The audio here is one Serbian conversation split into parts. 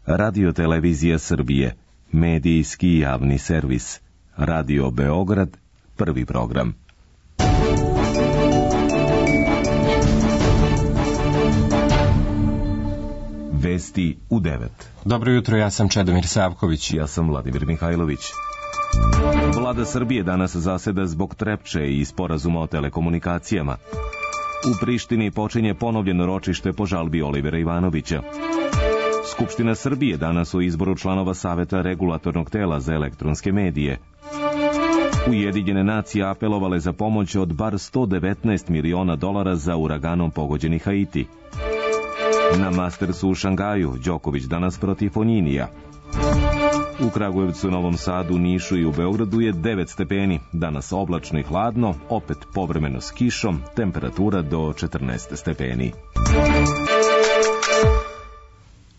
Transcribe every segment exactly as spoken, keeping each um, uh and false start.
Radio-televizija Srbije, medijski javni servis. Radio Beograd, prvi program. Vesti u devet. Dobro jutro, ja sam Čedomir Savković. Ja sam Vladimir Mihajlović. Vlada Srbije danas zaseda zbog Trepče i sporazuma o telekomunikacijama. U Prištini počinje ponovljeno ročište po žalbi Olivera Ivanovića. Skupština Srbije danas o izboru članova Saveta regulatornog tela za elektronske medije. Ujedinjene nacije apelovale za pomoć od bar sto devetnaest miliona dolara za uraganom pogođeni Haiti. Na Mastersu u Šangaju, Đoković danas protiv Fonjinija. U Kragujevcu, Novom Sadu, Nišu i u Beogradu je devet stepeni. Danas oblačno i hladno, opet povremeno s kišom, temperatura do četrnaest stepeni.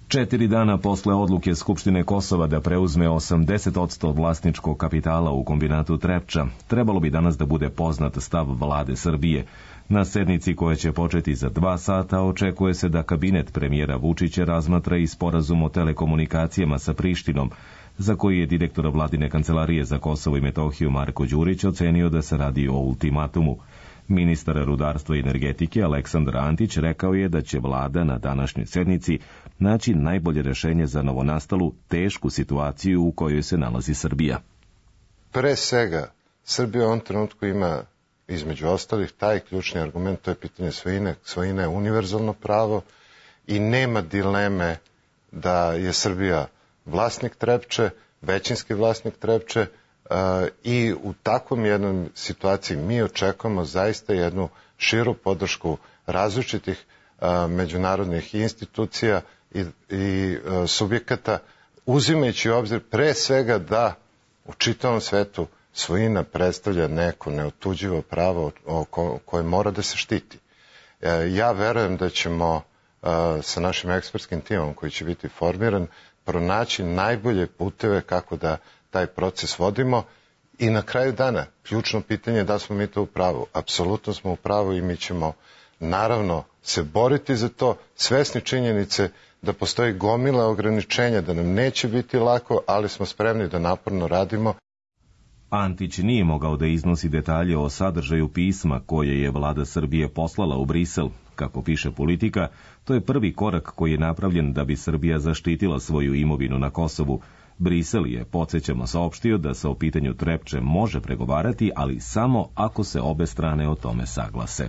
Četiri dana posle odluke Skupštine Kosova da preuzme osamdeset posto vlasničkog kapitala u kombinatu Trepča, trebalo bi danas da bude poznat stav vlade Srbije. Na sednici koja će početi za dva sata očekuje se da kabinet premijera Vučića razmatra i sporazum o telekomunikacijama sa Prištinom, za koji je direktor vladine kancelarije za Kosovo i Metohiju Marko Đurić ocenio da se radi o ultimatumu. Ministar rudarstva i energetike Aleksandar Antić rekao je da će vlada na današnjoj sednici naći najbolje rešenje za novonastalu tešku situaciju u kojoj se nalazi Srbija. Pre svega, Srbija u ovom trenutku ima, između ostalih, taj ključni argument, to je pitanje svojine. Svojina je univerzalno pravo i nema dileme da je Srbija vlasnik Trepče, većinski vlasnik Trepče, i u takvom jednom situaciji mi očekujemo zaista jednu širu podršku različitih međunarodnih institucija i, i subjekata, uzimajući u obzir pre svega da u čitavom svetu svojina predstavlja neko neotuđivo pravo koje mora da se štiti. Ja verujem da ćemo sa našim ekspertskim timom koji će biti formiran pronaći najbolje puteve kako da taj proces vodimo i na kraju dana ključno pitanje je da smo mi to u pravu. Apsolutno smo u pravu i mi ćemo naravno se boriti za to, svesni činjenice da postoji gomila ograničenja, da nam neće biti lako, ali smo spremni da naporno radimo. Antić nije mogao da iznosi detalje o sadržaju pisma koje je vlada Srbije poslala u Brisel. Kako piše Politika, to je prvi korak koji je napravljen da bi Srbija zaštitila svoju imovinu na Kosovu. Brisel je, podsjećamo, saopštio da se o pitanju Trepče može pregovarati, ali samo ako se obe strane o tome saglase.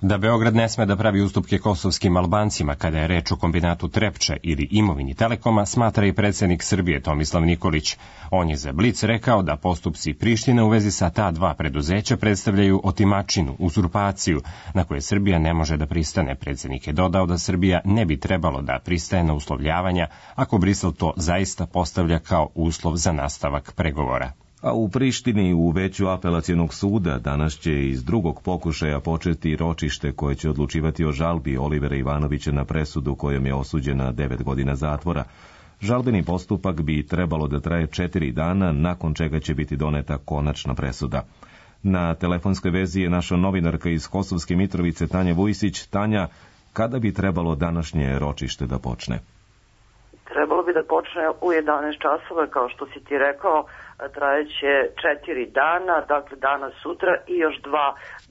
Da Beograd ne sme da pravi ustupke kosovskim Albancima kada je reč o kombinatu Trepča ili imovini Telekoma, smatra i predsjednik Srbije Tomislav Nikolić. On je za Blic rekao da postupci Prištine u vezi sa ta dva preduzeća predstavljaju otimačinu, uzurpaciju, na koje Srbija ne može da pristane. Predsjednik je dodao da Srbija ne bi trebalo da pristaje na uslovljavanja ako Brisel to zaista postavlja kao uslov za nastavak pregovora. A u Prištini u veću apelacionog suda danas će iz drugog pokušaja početi ročište koje će odlučivati o žalbi Olivera Ivanovića na presudu kojom je osuđena devet godina zatvora. Žalbeni postupak bi trebalo da traje četiri dana, nakon čega će biti doneta konačna presuda. Na telefonskoj vezi je naša novinarka iz Kosovske Mitrovice Tanja Vujsić. Tanja, kada bi trebalo današnje ročište da počne? Trebalo bi da počne u jedanaest časova, kao što si ti rekao, trajeće četiri dana, dakle danas, sutra i još dva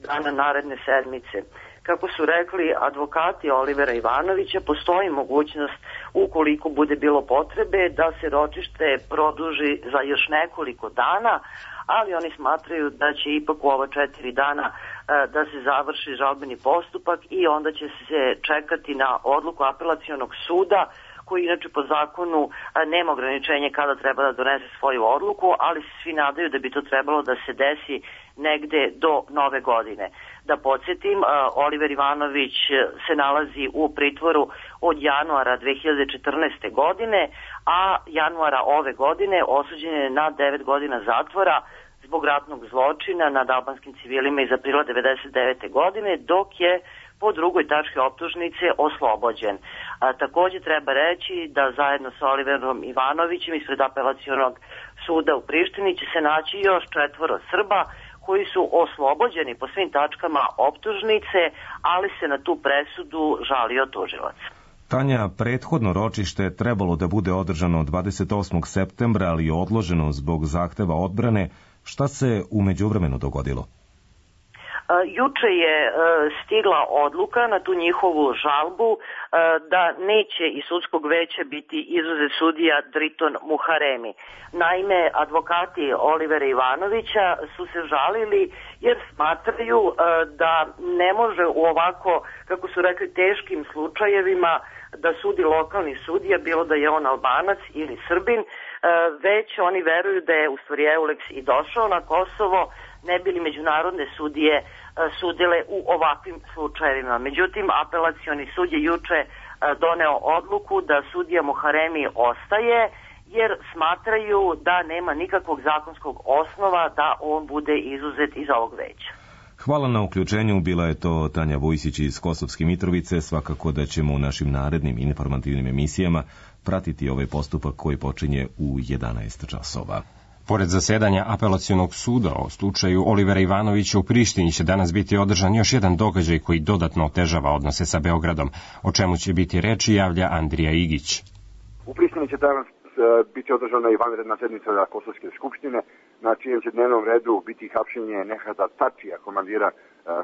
dana naredne sedmice. Kako su rekli advokati Olivera Ivanovića, postoji mogućnost, ukoliko bude bilo potrebe, da se ročište produži za još nekoliko dana, ali oni smatraju da će ipak u ova četiri dana da se završi žalbeni postupak i onda će se čekati na odluku apelacionog suda, koji inače po zakonu nema ograničenje kada treba da donese svoju odluku, ali se svi nadaju da bi to trebalo da se desi negde do nove godine. Da podsjetim, Oliver Ivanović se nalazi u pritvoru od januara dve hiljade četrnaeste. godine, a januara ove godine osuđen je na devet godina zatvora zbog ratnog zločina nad albanskim civilima iz aprila devedeset devete. godine, dok je po drugoj tački optužnice oslobođen. A, takođe treba reći da zajedno sa Oliverom Ivanovićem ispred apelacionog suda u Prištini će se naći još četvoro Srba koji su oslobođeni po svim tačkama optužnice, ali se na tu presudu žalio tužilac. Tanja, prethodno ročište trebalo da bude održano dvadeset osmog septembra, ali je odloženo zbog zahteva odbrane. Šta se u međuvremenu dogodilo? Juče je stigla odluka na tu njihovu žalbu da neće iz sudskog veća biti izuzet sudija Driton Muharemi. Naime, advokati Olivera Ivanovića su se žalili jer smatraju da ne može u ovako, kako su rekli, teškim slučajevima da sudi lokalni sudija, bilo da je on Albanac ili Srbin, već oni veruju da je u stvari Euleks i došao na Kosovo, ne bili međunarodne sudije sudile u ovakvim slučajevima. Međutim, apelacioni sud je juče doneo odluku da sudija Muharemi ostaje, jer smatraju da nema nikakvog zakonskog osnova da on bude izuzet iz ovog veća. Hvala na uključenju, bila je to Tanja Vujsić iz Kosovske Mitrovice. Svakako da ćemo u našim narednim informativnim emisijama pratiti ovaj postupak koji počinje u jedanaest časova. Pored zasedanja apelacionog suda o slučaju Olivera Ivanovića u Prištini će danas biti održan još jedan događaj koji dodatno otežava odnose sa Beogradom. O čemu će biti reči javlja Andrija Igić. U Prištini će danas biti održana i vanredna sednica Kosovske skupštine, na čijem će dnevnom redu biti hapšenje Nehata Tačija, komandira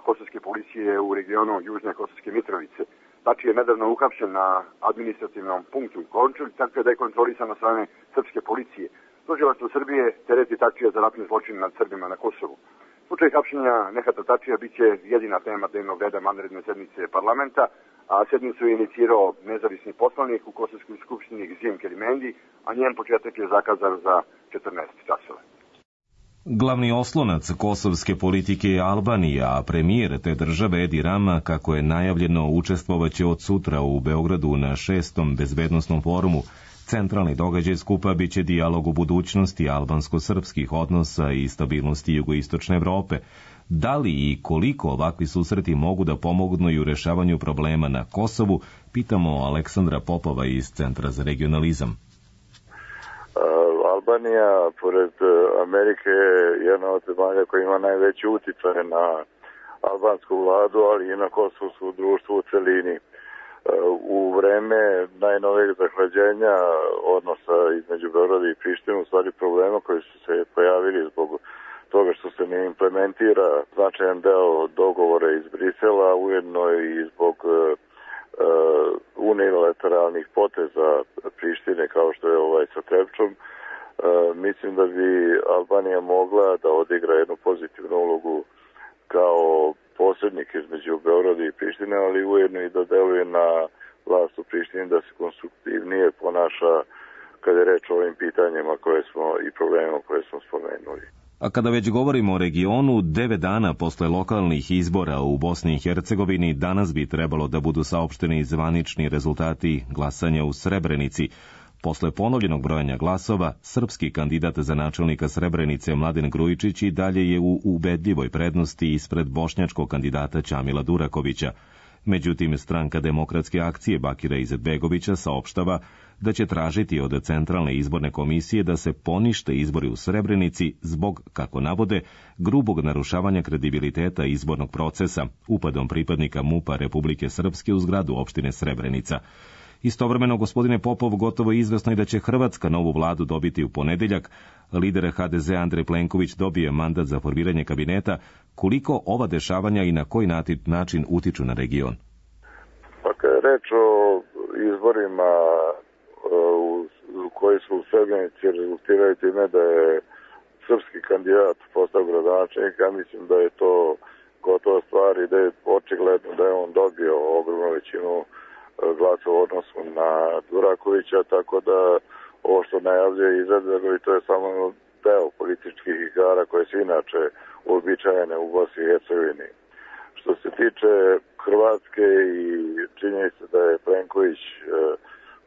kosovske policije u regionu Južne Kosovske Mitrovice. Tači je nedavno uhapšen na administrativnom punktu Končulj, tako da je kontrolisan od strane srpske policije. Tužilaštvo Srbije tereti Tačija za ratni zločin nad Srbima na Kosovu. Slučaj hapšenja Nehata Tačija biće jedina tema dnevnog reda vanredne sednice parlamenta, a sednicu je inicirao nezavisni poslanik u Kosovskoj skupštini Gzim Kerimendi, a njen početak je zakazan za četrnaest časova. Glavni oslonac kosovske politike je Albanija, a premijer te države Edi Rama, kako je najavljeno, učestvovaće od sutra u Beogradu na šestom bezbednosnom forumu. Centralni događaj skupa biće dijalog u budućnosti albansko-srpskih odnosa i stabilnosti jugoistočne Evrope. Da li i koliko ovakvi susreti mogu da pomognu i u rešavanju problema na Kosovu, pitamo Aleksandra Popova iz Centra za regionalizam. Albanija, pored Amerike, je jedna od zemalja koja ima najveći uticaj na albansku vladu, ali i na kosovsku društvu u celini. U vreme najnovijeg zahlađenja odnosa između Beograda i Prištine, u stvari problema koji su se pojavili zbog toga što se ne implementira značajan deo dogovora iz Brisela, ujedno i zbog uh, unilateralnih poteza Prištine kao što je ovaj sa Trepčom, uh, mislim da bi Albanija mogla da odigra jednu pozitivnu ulogu kao posrednik između Beograda i Prištine, ali ujedno i da deluje na vlast u Prištini da se konstruktivnije ponaša kada je reč o ovim pitanjima koje smo i problemima koje smo spomenuli. A kada već govorimo o regionu, devet dana posle lokalnih izbora u Bosni i Hercegovini danas bi trebalo da budu saopšteni zvanični rezultati glasanja u Srebrenici. Posle ponovljenog brojanja glasova, srpski kandidat za načelnika Srebrenice Mladen Grujičić i dalje je u ubedljivoj prednosti ispred bošnjačkog kandidata Ćamila Durakovića. Međutim, stranka Demokratske akcije Bakira Izetbegovića saopštava da će tražiti od Centralne izborne komisije da se ponište izbori u Srebrenici zbog, kako navode, grubog narušavanja kredibiliteta izbornog procesa upadom pripadnika MUP-a Republike Srpske u zgradu opštine Srebrenica. Istovremeno, gospodine Popov, gotovo izvesno je da će Hrvatska novu vladu dobiti u ponedeljak. Lider ha de ze Andrej Plenković dobije mandat za formiranje kabineta. Koliko ova dešavanja i na koji način utiču na region? Pa kad je reč o izborima u koji su u Srebrenici rezultiraju time da je srpski kandidat postao gradonačelnik, ja mislim da je to gotova stvar i da je očigledno da je on dobio ogromnu većinu glasa u odnosu na Durakovića, tako da ovo što najavljuje Izetbegović, to je samo deo političkih igara koje su inače uobičajene u Bosni i Hercegovini. Što se tiče Hrvatske i činjenice da je Plenković e,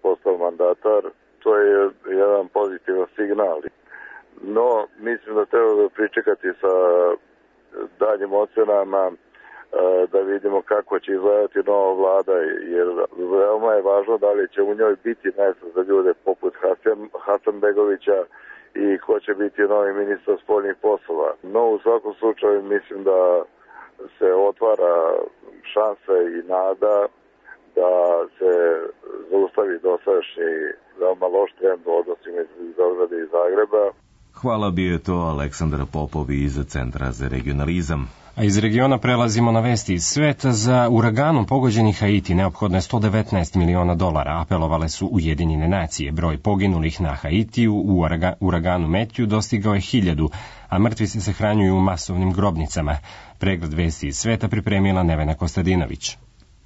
postao mandatar, to je jedan pozitivan signal. No, mislim da treba da pričekati sa daljim ocenama da vidimo kako će izgledati nova vlada, jer veoma je važno da li će u njoj biti mjesto za ljude poput Hasan, Hasanbegovića i ko će biti novi ministar spoljnih poslova. No, u svakom slučaju mislim da se otvara šansa i nada da se zaustavi dosadašnji veoma loš trend u odnosima između Beograda i Zagreba. Hvala, bio je to Aleksandar Popov iz Centra za regionalizam. A iz regiona prelazimo na vesti iz sveta. Za uraganom pogođeni Haiti neophodno je sto devetnaest miliona dolara, apelovale su Ujedinjene nacije. Broj poginulih na Haitiju u uraganu Metju dostigao je hiljadu, a mrtvi se sahranjuju u masovnim grobnicama. Pregled vesti iz sveta pripremila Nevena Kostadinović.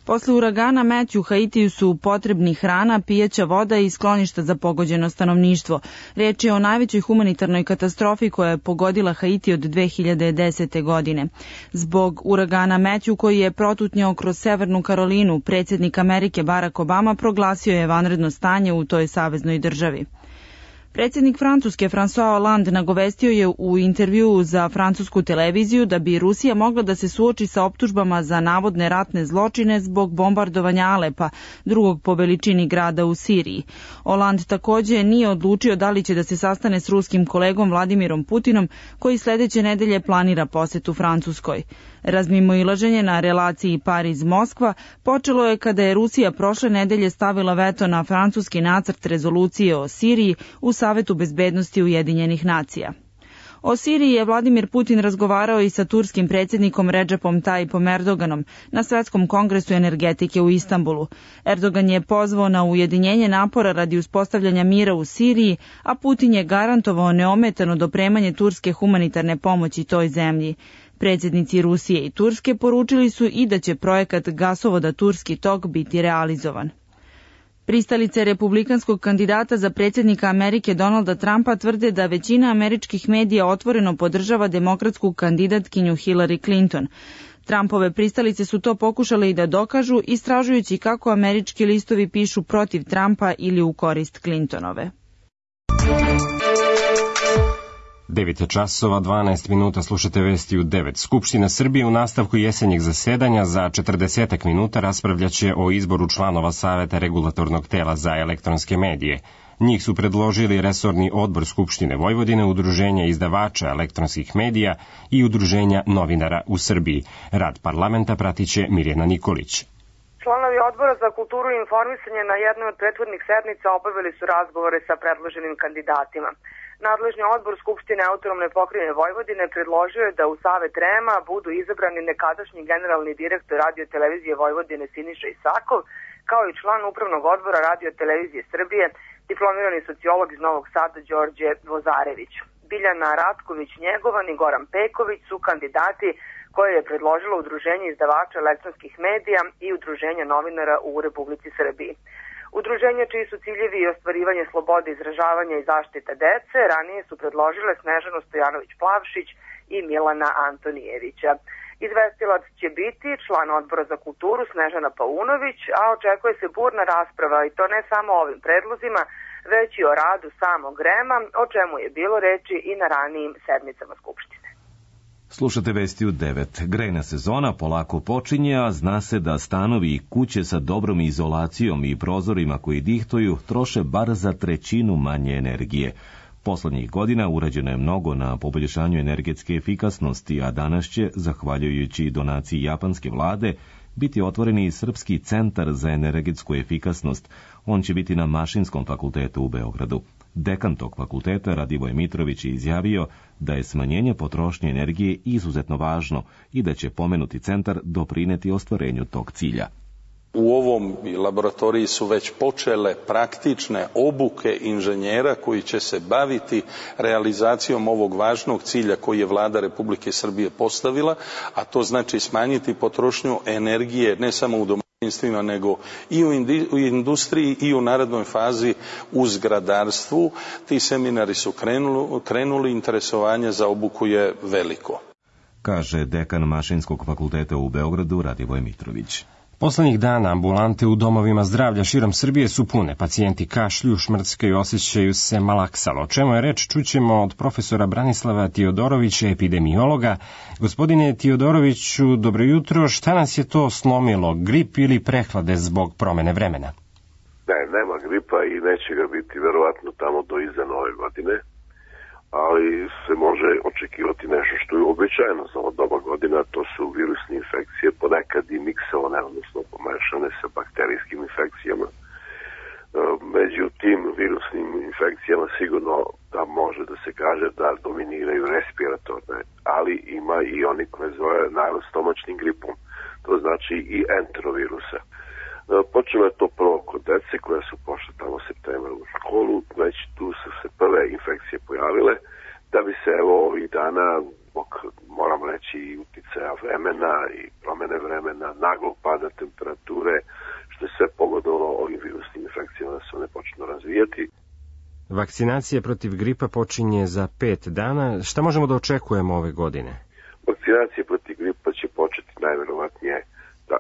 Posle uragana Metju Haitiju su potrebni hrana, pijaća voda i skloništa za pogođeno stanovništvo. Reč je o najvećoj humanitarnoj katastrofi koja je pogodila Haiti od dve hiljade desete. godine. Zbog uragana Metju koji je protutnjao kroz Severnu Karolinu, predsjednik Amerike Barack Obama proglasio je vanredno stanje u toj saveznoj državi. Predsjednik Francuske François Hollande nagovestio je u intervjuu za francusku televiziju da bi Rusija mogla da se suoči sa optužbama za navodne ratne zločine zbog bombardovanja Alepa, drugog po veličini grada u Siriji. Hollande takođe nije odlučio da li će da se sastane s ruskim kolegom Vladimirom Putinom, koji sledeće nedelje planira posetu Francuskoj. Razmimoilaženje na relaciji Pariz-Moskva počelo je kada je Rusija prošle nedelje stavila veto na francuski nacrt rezolucije o Siriji u Savetu bezbednosti Ujedinjenih nacija. O Siriji je Vladimir Putin razgovarao i sa turskim predsjednikom Redžepom Tayyipom Erdoganom na Svetskom kongresu energetike u Istanbulu. Erdogan je pozvao na ujedinjenje napora radi uspostavljanja mira u Siriji, a Putin je garantovao neometano dopremanje turske humanitarne pomoći toj zemlji. Predsjednici Rusije i Turske poručili su i da će projekat gasovoda Turski tok biti realizovan. Pristalice republikanskog kandidata za predsjednika Amerike Donalda Trumpa tvrde da većina američkih medija otvoreno podržava demokratsku kandidatkinju Hillary Clinton. Trumpove pristalice su to pokušale i da dokažu, istražujući kako američki listovi pišu protiv Trumpa ili u korist Clintonove. devet časova dvanaest minuta, slušate vesti u devet. Skupština Srbije u nastavku jesenjeg zasedanja za četrdesetak minuta raspravljaće o izboru članova Saveta regulatornog tela za elektronske medije. Njih su predložili resorni odbor Skupštine Vojvodine, Udruženja izdavača elektronskih medija i Udruženja novinara u Srbiji. Rad parlamenta pratiće Mirjana Nikolić. Članovi odbora za kulturu i informisanje na jednoj od prethodnih sednica obavili su razgovore sa predloženim kandidatima. Nadležni odbor Skupštine Autonomne pokrajine Vojvodine predložio je da u Savet R E M-a budu izabrani nekadašnji generalni direktor Radio-televizije Vojvodine Siniša Isakov, kao i član upravnog odbora Radio-televizije Srbije, diplomirani sociolog iz Novog Sada Đorđe Vozarević. Biljana Ratković-Njegovan i Goran Peković su kandidati koje je predložilo Udruženje izdavača elektronskih medija i Udruženja novinara u Republici Srbiji. Udruženja čiji su ciljevi i ostvarivanje slobode izražavanja i zaštita dece ranije su predložile Snežanu Stojanović-Plavšić i Milana Antonijevića. Izvestilac će biti član odbora za kulturu Snežana Paunović, a očekuje se burna rasprava i to ne samo o ovim predlozima, već i o radu samog R E M-a, o čemu je bilo reči i na ranijim sedmicama Skupštine. Slušate vesti u devet. Grejna sezona polako počinje, a zna se da stanovi i kuće sa dobrom izolacijom i prozorima koji dihtuju troše bar za trećinu manje energije. Poslednjih godina urađeno je mnogo na poboljšanju energetske efikasnosti, a danas će, zahvaljujući donaciji japanske vlade, biti otvoreni i Srpski centar za energetsku efikasnost. On će biti na Mašinskom fakultetu u Beogradu. Dekan tog fakulteta Radivoj Mitrović je izjavio da je smanjenje potrošnje energije izuzetno važno i da će pomenuti centar doprineti ostvarenju tog cilja. U ovom laboratoriji su već počele praktične obuke inženjera koji će se baviti realizacijom ovog važnog cilja koji je Vlada Republike Srbije postavila, a to znači smanjiti potrošnju energije ne samo u domaćinstvima, nego i u industriji i u narednoj fazi u zgradarstvu. Ti seminari su krenuli, krenuli interesovanje za obuku je veliko. Kaže dekan Mašinskog fakulteta u Beogradu Radivoj Mitrović. Poslednjih dana ambulante u domovima zdravlja širom Srbije su pune. Pacijenti kašlju, šmrckaju, osjećaju se malaksalo. O čemu je reč, čućemo od profesora Branislava Tiodorovića, epidemiologa. Gospodine Tiodoroviću, dobro jutro. Šta nas je to slomilo? Grip ili prehlade zbog promene vremena? Ne, nema gripa i neće ga biti verovatno tamo do iza nove godine. ali se može očekivati nešto što je uobičajeno za ovo doba godina, to su virusne infekcije, ponekad i miksovane, odnosno pomešane sa bakterijskim infekcijama. Među tim virusnim infekcijama sigurno da može da se kaže da dominiraju respiratorne, ali ima i oni koje zove narod-stomačnim gripom, to znači i enterovirusa. Počelo je to prvo kod dece koja su pošle tamo septembra u školu, već tu su se prve infekcije pojavile, da bi se evo ovih dana, moram reći i uticaja vremena i promene vremena, naglog pada temperature, što je sve pogodilo ovim virusnim infekcijama da se one počnu razvijati. Vakcinacija protiv gripa počinje za pet dana. Šta možemo da očekujemo ove godine? Vakcinacija protiv gripa će početi najverovatnije da,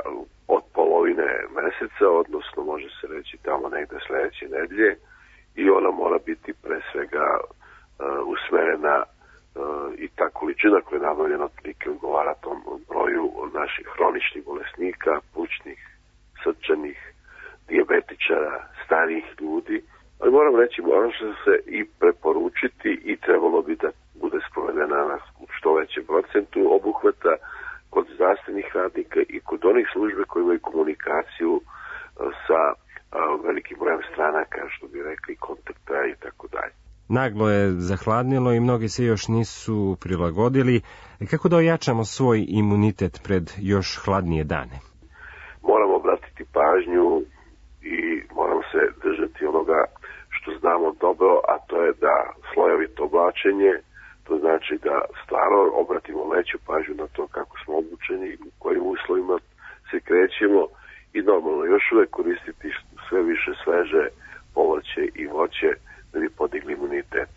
od polovine meseca, odnosno može se reći tamo negde sledeće nedelje, i ona mora biti pre svega uh, usmerena uh, i ta količina koja je nabavljena otprilike odgovara tom broju naših hroničnih bolesnika, plućnih, srčanih, dijabetičara, starijih ljudi. Ali moram reći, moram se i preporučiti i trebalo bi da bude sprovedena na što većem procentu obuhvata kod zdravstvenih radnika i kod onih službe koji imaju komunikaciju sa velikim brojem stranaka, što bi rekli, kontakta i tako dalje. Naglo je zahladnilo i mnogi se još nisu prilagodili. Kako da ojačamo svoj imunitet pred još hladnije dane? Moramo obratiti pažnju i moramo se držati onoga što znamo dobro, a to je da slojevito oblačenje, to znači da stvarno obratimo veću pažnju na to kako smo obučeni, u kojim uslovima se krećemo i normalno još uvek koristiti sve više sveže povrće i voće da bi podigli imunitet.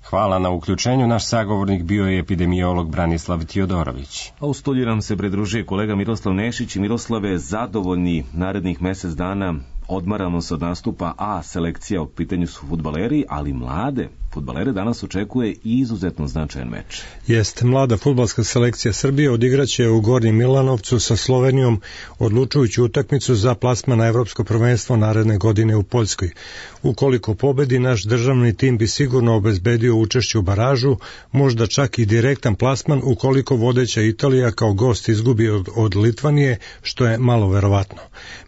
Hvala na uključenju. Naš sagovornik bio je epidemiolog Branislav Tijodorović. A u studiju nam se pridružuje kolega Miroslav Nešić. I Miroslave, zadovoljni narednih mesec dana, odmaramo se od nastupa, a selekcija, u pitanju su fudbaleri, ali mlade fudbalere danas očekuje i izuzetno značajan meč. Jest, mlada fudbalska selekcija Srbije odigraće u Gornjem Milanovcu sa Slovenijom odlučujuću utakmicu za plasman na Evropsko prvenstvo naredne godine u Poljskoj. Ukoliko pobedi, naš državni tim bi sigurno obezbedio učešće u baražu, možda čak i direktan plasman ukoliko vodeća Italija kao gost izgubi od, od Litvanije, što je malo verovatno.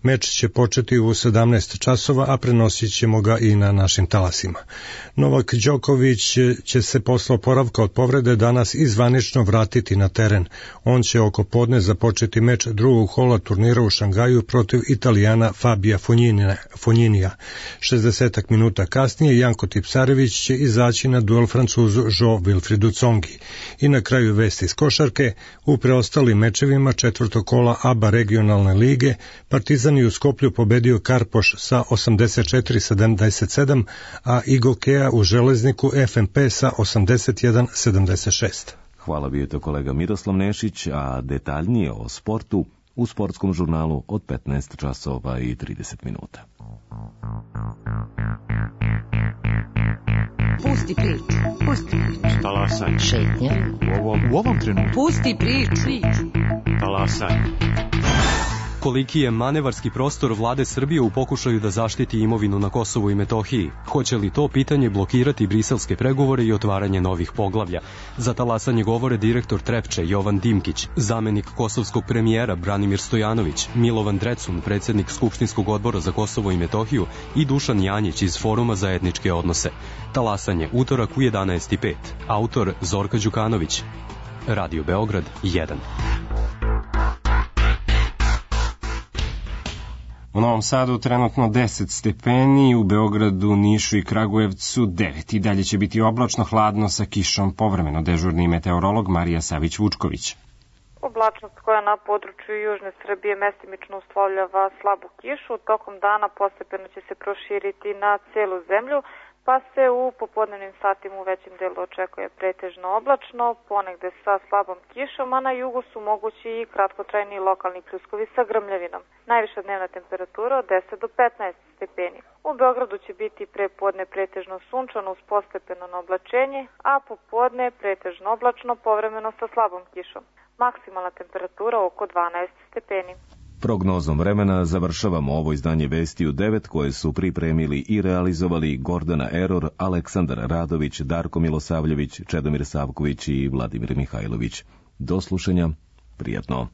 Meč će početi u sedamnaest časova, a prenosit ćemo ga i na našim talasima. Novak Đoković će se posle oporavka od povrede danas izvanično vratiti na teren. On će oko podne započeti meč drugog kola turnira u Šangaju protiv Italijana Fabija Fonjinija. šezdeset minuta kasnije Janko Tipsarević će izaći na duel Francuzu Jo Wilfridu Tsongi. I na kraju vesti iz košarke, u preostalim mečevima četvrtog kola A B A regionalne lige Partizan je u Skoplju pobedio Karpoš sa osamdeset četiri sedamdeset sedam, a Igokea u Železniku F M P sa osamdeset jedan sedamdeset šest. Hvala, bio je to kolega Miroslav Nešić, a detaljnije o sportu u sportskom žurnalu od petnaest časova i trideset minuta. Pusti priču, pusti priču. Talasaj. Šetnja. U ovom, u ovom trenutku. Pusti priču. priču. Talasaj. Koliki je manevarski prostor vlade Srbije u pokušaju da zaštiti imovinu na Kosovu i Metohiji? Hoće li to pitanje blokirati briselske pregovore i otvaranje novih poglavlja? Za talasanje govore direktor Trepče Jovan Dimkić, zamenik kosovskog premijera Branimir Stojanović, Milovan Drecun, predsjednik Skupštinskog odbora za Kosovo i Metohiju i Dušan Janjić iz Foruma za etničke odnose. Talasanje utorak u jedanaest i pet. Autor Zorka Đukanović. Radio Beograd jedan. U Novom Sadu trenutno deset stepeni, u Beogradu, Nišu i Kragujevcu devet. I dalje će biti oblačno, hladno sa kišom, povremeno dežurni meteorolog Marija Savić-Vučković. Oblačnost koja na području južne Srbije mestimično uslovljava slabu kišu, tokom dana postepeno će se proširiti na celu zemlju, pa se u popodnevnim satima u većem delu očekuje pretežno oblačno, ponegde sa slabom kišom, a na jugu su mogući i kratkotrajni lokalni pljuskovi sa grmljavinom. Najviša dnevna temperatura od deset do petnaest stepeni. U Beogradu će biti prepodne pretežno sunčano uz postepeno na oblačenje, a popodne pretežno oblačno povremeno sa slabom kišom. Maksimalna temperatura oko dvanaest stepeni. Prognozom vremena završavamo ovo izdanje Vesti u devet koje su pripremili i realizovali Gordana Eror, Aleksandar Radović, Darko Milosavljević, Čedomir Savković i Vladimir Mihajlović. Do slušanja, prijatno.